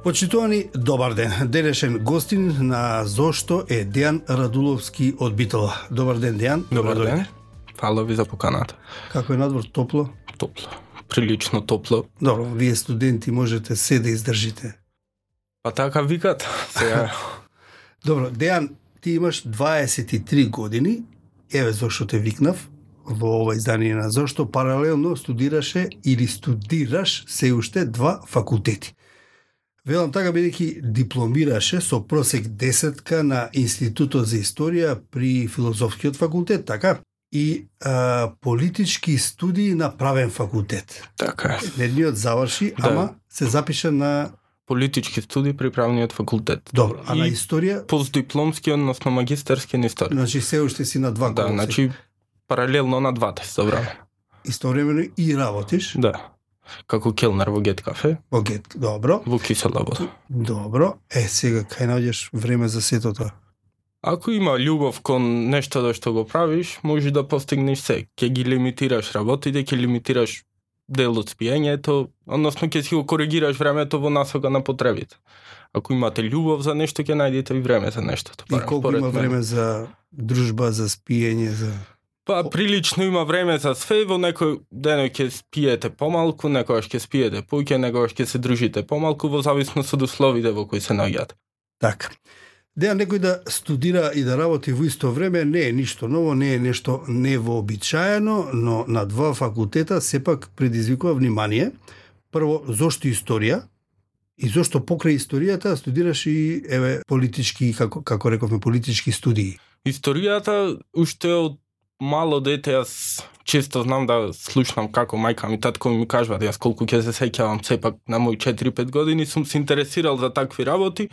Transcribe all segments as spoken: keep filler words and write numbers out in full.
Почитувани, добар ден. Денешен гостин на Зошто е Дејан Радуловски од Битола. Добар ден, Дејан. Добар ден. Фала ви за поканата. Како е надвор, топло? Топло. Прилично топло. Добро, вие студенти можете се да издржите. Па така викат. Сега. Добро, Дејан, ти имаш дваесет и три години. Еве зошто те викнав во ова издание на Зошто. Паралелно студираше или студираш се уште два факултети. Велам така бидејќи дипломираше со просек десетка на Институтот за историја при Филозофскиот факултет, така? И а, политички студии на правен факултет. Така е. Едниот заврши, Да. ама се запиша на... Политички студии при правниот факултет. Добро, а И на историја? Постдипломски, односно магистарски на историја. Значи се уште си на два Да, колоси. значи паралелно на двата за време. Истовремено и работиш Да. Како келнер во Гет кафе, во Гет. Добро. во кисела вода. Добро. Е, сега кај наоѓаш време за сето тоа? Ако има љубов кон нешто да што го правиш, може да постигнеш се. Ќе ги лимитираш работите, ќе лимитираш дел од спиењето, односно ќе си го коригираш времето во насока на потребите. Ако имате љубов за нешто, ќе најдете и време за нештото. И колку има време за дружба, за спиење, за... Па прилично има време за све, во некој ден ќе спиете помалку, некогаш ќе спиете поќе, некогаш ќе се дружите помалку, во зависност од условите во кои се наоѓате. Така. Дејан, некој да студира и да работи во исто време не е ништо ново, не е нешто невообичаено, но на два факултета сепак предизвикува внимание. Прво, зошто историја? И зошто покрај историјата студираш и еве политички, како како рековме, политички студии? Историјата уште од мало дете јас често знам да слушнам како мајка ми, татко ми кажуваат, јас колку ќе се сеќавам сепак на мои четири-пет години сум се интересирал за такви работи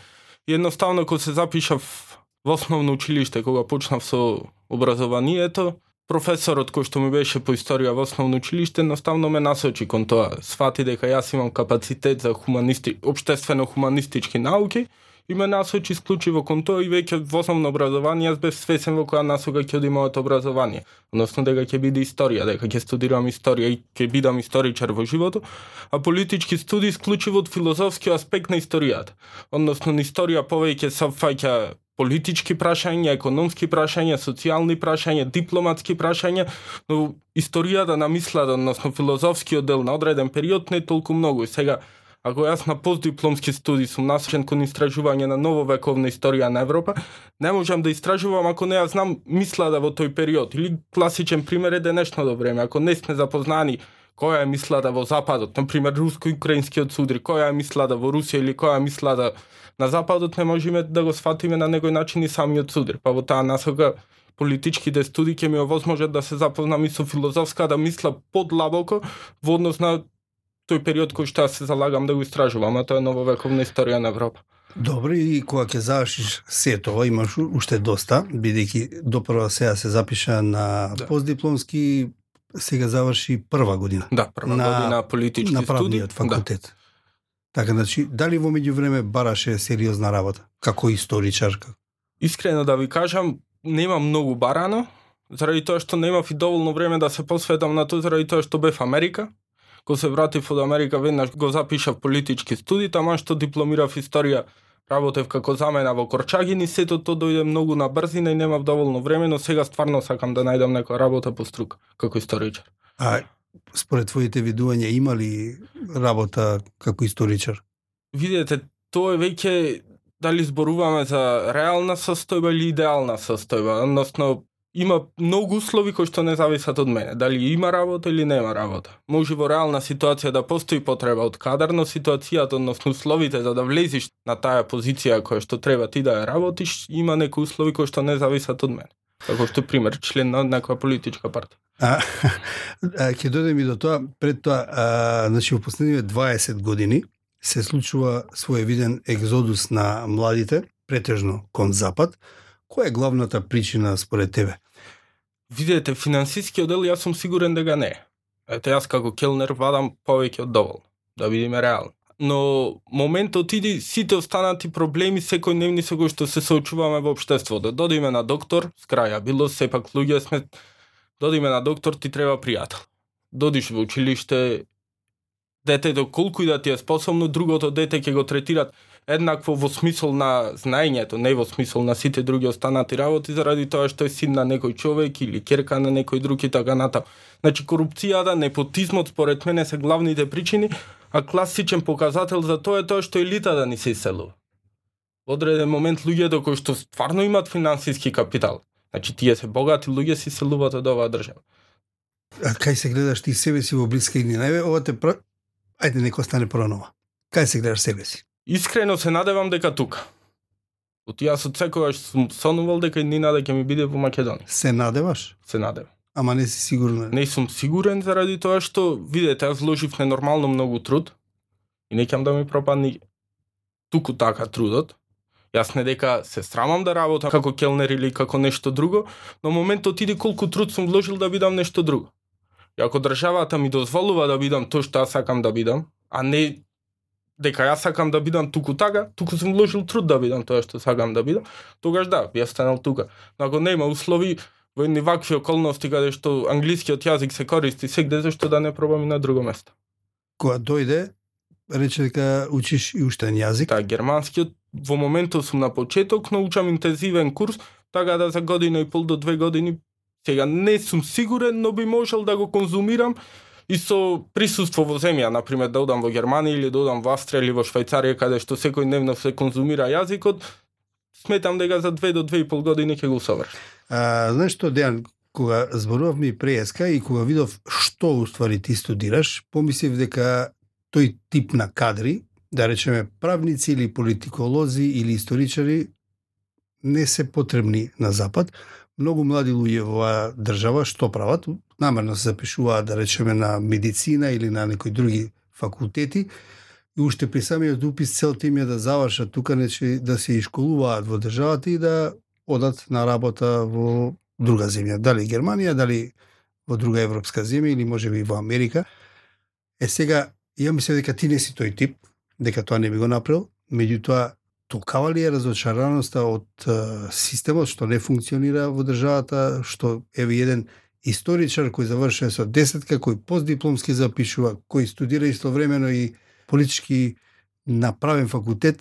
и едноставно кога се запишав во основно училиште, кога почнав со образованието, професорот кој што ми беше по историја во основно училиште едноставно ме насочи кон тоа. Свати дека јас имам капацитет за хуманисти, општествено-хуманистички науки и ме насочи исклучиво кон тоа и веќе во основно образование јас бев свесен во која насока ќе оди моето образование. Односно дека ќе биде историја, дека ќе студирам историја и ќе бидам историчар во животот, а политички студии исклучиво од филозофскиот аспект на историјата. Односно на историја повеќе се фаќа политички прашања, економски прашања, социјални прашања, дипломатски прашања, но историјата на мислата, односно филозофскиот дел на одреден период не е толку многу. И сега ако јас на постдипломски студии сум насочен кон истражување на нововековна историја на Европа, не можам да истражувам ако не ја знам мислата во тој период. Или класичен пример е денешното време. Ако не сме запознани која е мислата во Западот, например руско-украинскиот судир, која е мислата во Русија или која е мислата на Западот, не можеме да го сфатиме на некој начин и самиот судир. Па во таа насока политичките студии ќе ми овозможат да се запознам и со филозофската мисла подлабоко во однос на тој период кој што се залагам да го истражувам, а тоа е нововековна историја на Европа. Добро, и кога ќе завршиш се тоа, имаш уште доста, бидејќи допрва сега се запиша на Да. постдипломски, сега заврши прва година. Да, прва На- година политички на студии. правниот факултет. Да. Така, значи, дали во меѓувреме бараше сериозна работа, како историчар? како- Искрено да ви кажам, нема многу барано, заради тоа што немав и доволно време да се посветам на тоа, заради тоа што бев Америка. Кога се вратив од Америка, веднаш го запишав политички студии, таман што дипломирав историја, работев како замена во Корчагин и сето тоа дојде многу на брзина и немав доволно време, но сега стварно сакам да најдам некоја работа по струка, како историчар. А според твоите видувања има ли работа како историчар? Видете, тоа е веќе дали зборуваме за реална состојба или идеална состојба, односно има многу услови кои што не зависат од мене. Дали има работа или нема работа. Може во реална ситуација да постои потреба од кадар, но ситуацијата, односно условите за да влезиш на таа позиција која што треба ти да ја работиш, има некои услови кои што не зависат од мене. Како што пример, член на некоја политичка партија. А, а ќе дојдем и до тоа, пред тоа, а, значи во последниве дваесет години се случува своевиден екзодус на младите, претежно кон запад. Која е главната причина според тебе? Видете, финансискиот дел јас сум сигурен дека не е. Ете, јас како келнер вадам повеќе од доволно, да бидеме реални. Но моментот иди сите останати проблеми секојдневни со кои што се соочуваме во општеството. Додиме на доктор, скраја било сепак луѓе сме, додиме на доктор ти треба пријател. Додиш во училиште, детето колку и да ти е способно, другото дете ќе го третират еднакво во смисол на знаењето, не во смисол на сите други останати работи, заради тоа што е син на некој човек или ќерка на некој друг и така натаму. Значи корупцијата, непотизмот според мене се главните причини, а класичен показател за тоа е тоа што елитата ни се иселува. Во одреден момент луѓето кои што стварно имаат финансиски капитал, значи тие се богати луѓе се иселуваат од оваа држава. А кај се гледаш ти себе си во блиска иднина? Еве, ова те пр... Ајде, нека остане пронова. Кај се гледаш себе си? Искрено се надевам дека тука. От јас од секогаш сум сонувал дека иднина ќе ми биде во Македонија. Се надеваш? Се надевам. Ама не си сигурен? Не сум сигурен заради тоа што, видете, јас вложив ненормално многу труд и не ќе да ми пропадни туку така трудот. Јас не дека се срамам да работам како келнер или како нешто друго, но моментот иде колку труд сум вложил да бидам нешто друго. И ако државата ми дозволува да бидам тоа што јас сакам да бидам, а не дека јас сакам да бидам туку така, туку сум вложил труд да бидам тоа што сакам да бидам, тогаш да, би останал тука. Но ако нема услови, во едни вакви околности каде што англискиот јазик се користи сегде, зашто да не пробам и на друго место. Кога дојде, рече дека учиш и уште еден јазик? Да, германскиот во моментот сум на почеток, но учам интензивен курс, така да за година и пол до две години сега не сум сигурен, но би можел да го конзумирам и со присуство во земја, например да одам во Германија или да одам во Австрија или во Швајцарија, каде што секој дневно се конзумира јазикот, сметам дека за две до две и пол години ќе го совршам. А, знаеш што, Дејан, кога зборувавме и преска и кога видов што уствари ти студираш, помислив дека тој тип на кадри, да речеме правници или политиколози или историчари, не се потребни на Запад. Многу млади луѓе во оваа држава што прават? Намерно се запишуваат, да речеме, на медицина или на некои други факултети и уште при самиот упис целта им е да завршат тука, нече да се ишколуваат во државата и да одат на работа во друга земја, дали Германија, дали во друга европска земја или можеби во Америка. Е сега, ја мислам дека ти не си тој тип, дека тоа не би го направил, меѓутоа толкава ли е разочараноста од uh, системот што не функционира во државата, што еве еден историчар кој завршува со десетка, кој постдипломски запишува, кој студира истовремено и политички направен факултет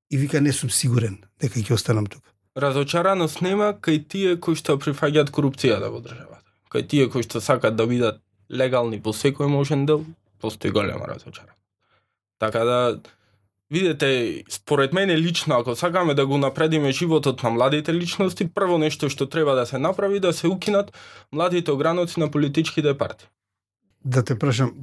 и вика не сум сигурен дека ќе останам тука. Разочараност нема кај тие кои што прифаќаат корупцијата во државата. Кај тие кои што сакаат да бидат легални по секој можен дел, постои голема разочараност. Така да, видете, според мене лично, ако сакаме да го напредиме животот на младите личности, прво нешто што треба да се направи, да се укинат младите ограноци на политичките партии. Да те прашам,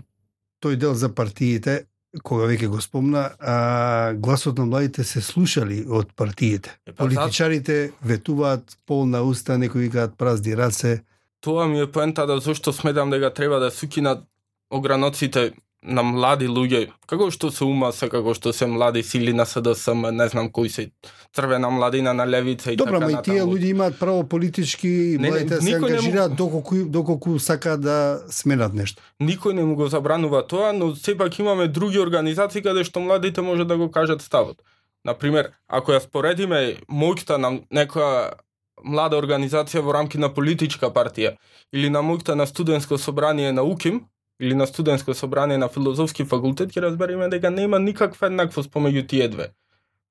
тој дел за партиите, кога веќе го спомна, а, гласот на младите се слушали од партиите. Е, па, политичарите ветуваат полна уста, некои викаат празни раце. Тоа ми е поентата зашто сметам дека треба да се укинат ограноците на млади луѓе, како што се УМАС, како што се млади сили на СДСМ, не знам кои се црвена младина на левица и Добра, така натаму. Добра, ма и тие луѓе имаат право политички, не, младите не, се ангажираат му... доколку, доколку сакаат да сменат нешто. Никој не му го забранува тоа, но сепак имаме други организации каде што младите може да го кажат ставот. Например, ако ја споредиме моќта на некоја млада организација во рамки на политичка партија или на моќта на студентско собрание на УКИМ, или на студентско собрание на филозофски факултет, ќе разбереме дека нема никаква еднаквост помеѓу тие две.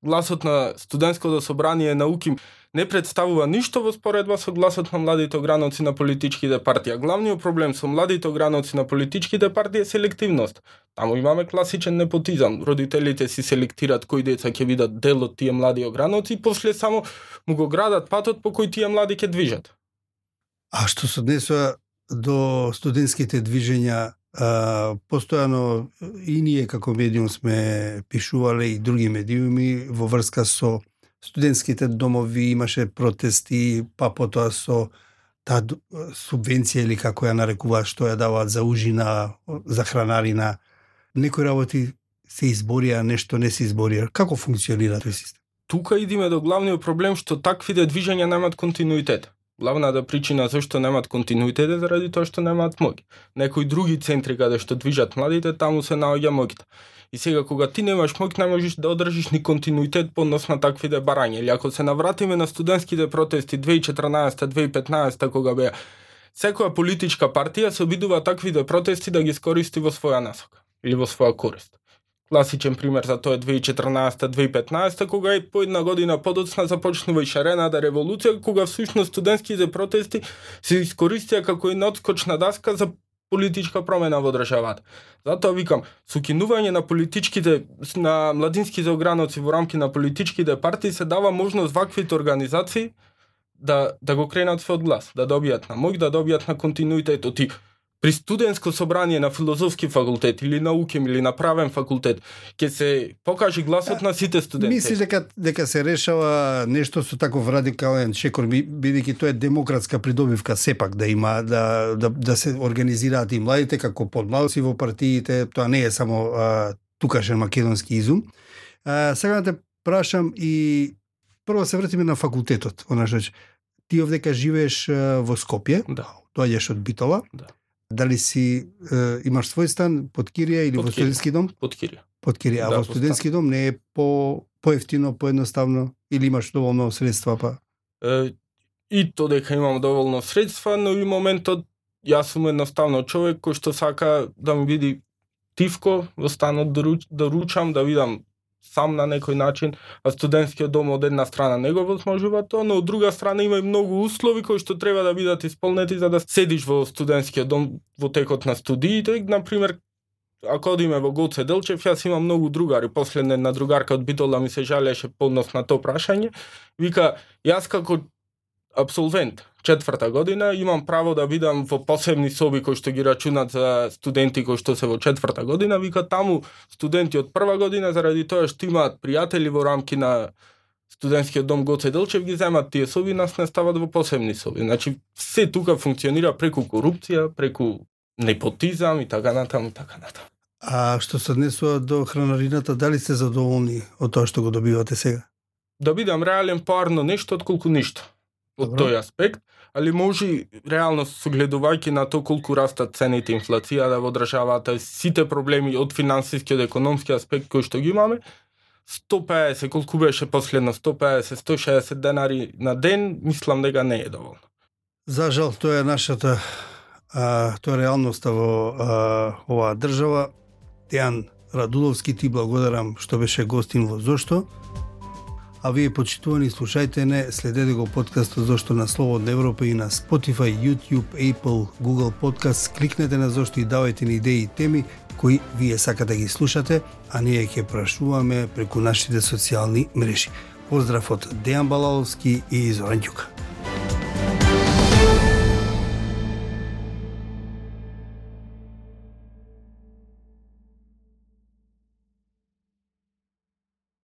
Гласот на студентското собрание на УКИМ не представува ништо во споредба со гласот на младите ограноци на политичките партии. Главниот проблем со младите ограноци на политичките партии е селективност. Таму имаме класичен непотизам. Родителите си селектират кои деца ќе бидат дел од тие млади ограноци и после само му го градат патот по кој тие млади ќе движат. А што се однесува до студентските движења, а, постојано и ние како медиум сме пишувале и други медиуми во врска со студентските домови, имаше протести, па потоа со таа субвенција или како ја нарекуваат, што ја даваат за ужина, за хранарина. Некои работи се изборија, нешто не се изборија. Како функционира тој систем? Тука идиме до главниот проблем што таквите движења немаат континуитет. Главната причина зашто немаат континуитет е заради тоа што немаат моќ. Некои други центри каде што движат младите, таму се наоѓа моќта. И сега кога ти немаш моќ, не можеш да одржиш ни континуитет по однос на таквите барања. Или ако се навратиме на студентските протести две илјади и четрнаесета две илјади и петнаесета кога беа, секоја политичка партија се обидува таквите протести да ги скористи во своја насока. или во своја корист. Класичен пример за тоа е две илјади и четрнаесета две илјади и петнаесета, кога и по една година подоцна започнува и шарената револуција, кога всушност студентските протести се искористија како една одскочна даска за политичка промена во државата. Затоа викам, со кинување на политичките, на младинските ограноци во рамки на политичките партии се дава можност ваквите организации да, да го кренат својот глас, да добијат на мој, да добијат на континуитет. Оти при студентско собрание на филозофски факултет или на УКИМ или на правен факултет ќе се покажи гласот на сите студенти. Мислиш дека дека се решава нешто со таков радикален шекор, бидејќи тоа е демократска придобивка сепак да има да да да се организираат и младите како подмладоци во партиите, тоа не е само а, тукашен македонски изум. А, сега да те прашам и прво се вратиме на факултетот. Онаш, ти овдека живееш а, во Скопје, Да. доаѓаш од Битола. Да. Дали си е, имаш свој стан под кирија или Под во кирија. студентски дом? Под кирија. Под кирија, а Да, во во студентски дом не е по поевтино, поедноставно или имаш доволно средства па? Е, и то дека имам доволно средства, но и моментот јас сум едноставно човек кој што сака да ми види тивко во станот да, руч, да ручам, да видам сам на некој начин, а студентскиот дом од една страна не го возможува тоа, но од друга страна има и многу услови кои што треба да бидат исполнети за да седиш во студентскиот дом во текот на студиите. Например, ако одиме во Гоце Делчев, јас имам многу другари. Последна една другарка од Битола ми се жалеше по однос на тоа прашање. Вика, јас како абсолвент четврта година имам право да бидам во посебни соби кои што ги рачунат за студенти кои што се во четврта година. Вика, таму студенти од прва година заради тоа што имаат пријатели во рамки на студентскиот дом Гоце Делчев ги земат тие соби, нас не стават во посебни соби. Значи се тука функционира преку корупција, преку непотизам и така натаму и така натаму. А што се однесува до хранарината, дали сте задоволни од тоа што го добивате сега? Да бидам реален, поарно нешто отколку ништо. Од Добро. тој аспект, али може реално согледувајќи на тоа колку растат цените, инфлацијата во државата, сите проблеми од финансиски, од економски аспект кои што ги имаме, сто пеесет, колку беше последно, сто пеесет, сто шеесет денари на ден, мислам дека не е доволно. За жал, тоа е нашата а, тоа е реалноста во а, оваа држава. Дејан Радуловски, ти благодарам што беше гостин во Зошто. А вие, почитувани слушајте не, следете го подкастот Зошто на Слободна Европа и на Spotify, YouTube, Apple, Google Podcast. Кликнете на Зошто и давајте ни идеи и теми кои вие сакате да ги слушате, а ние ќе прашуваме преку нашите социјални мрежи. Поздрав од Дејан Балаловски и Зоран Ѓука.